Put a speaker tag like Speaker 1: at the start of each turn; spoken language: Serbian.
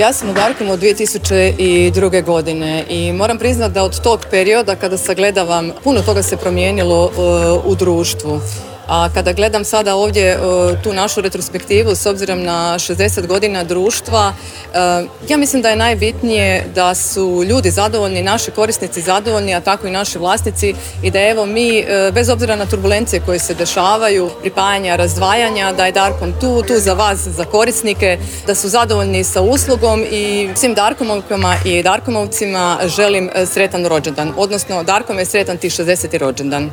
Speaker 1: Ja sam u Darkomu od 2002. godine i moram priznati da od tog perioda kada sagledavam, puno toga se promijenilo u društvu. A kada gledam sada ovdje tu našu retrospektivu s obzirom na 60 godina društva, ja mislim da je najbitnije da su ljudi zadovoljni, naši korisnici zadovoljni, a tako i naši vlasnici i da evo mi, bez obzira na turbulencije koje se dešavaju, pripajanja, razdvajanja, da je Darkom tu za vas, za korisnike, da su zadovoljni sa uslugom i svim Darkomovkama i Darkomovcima želim sretan rođendan, odnosno Darkom je sretan ti 60. rođendan.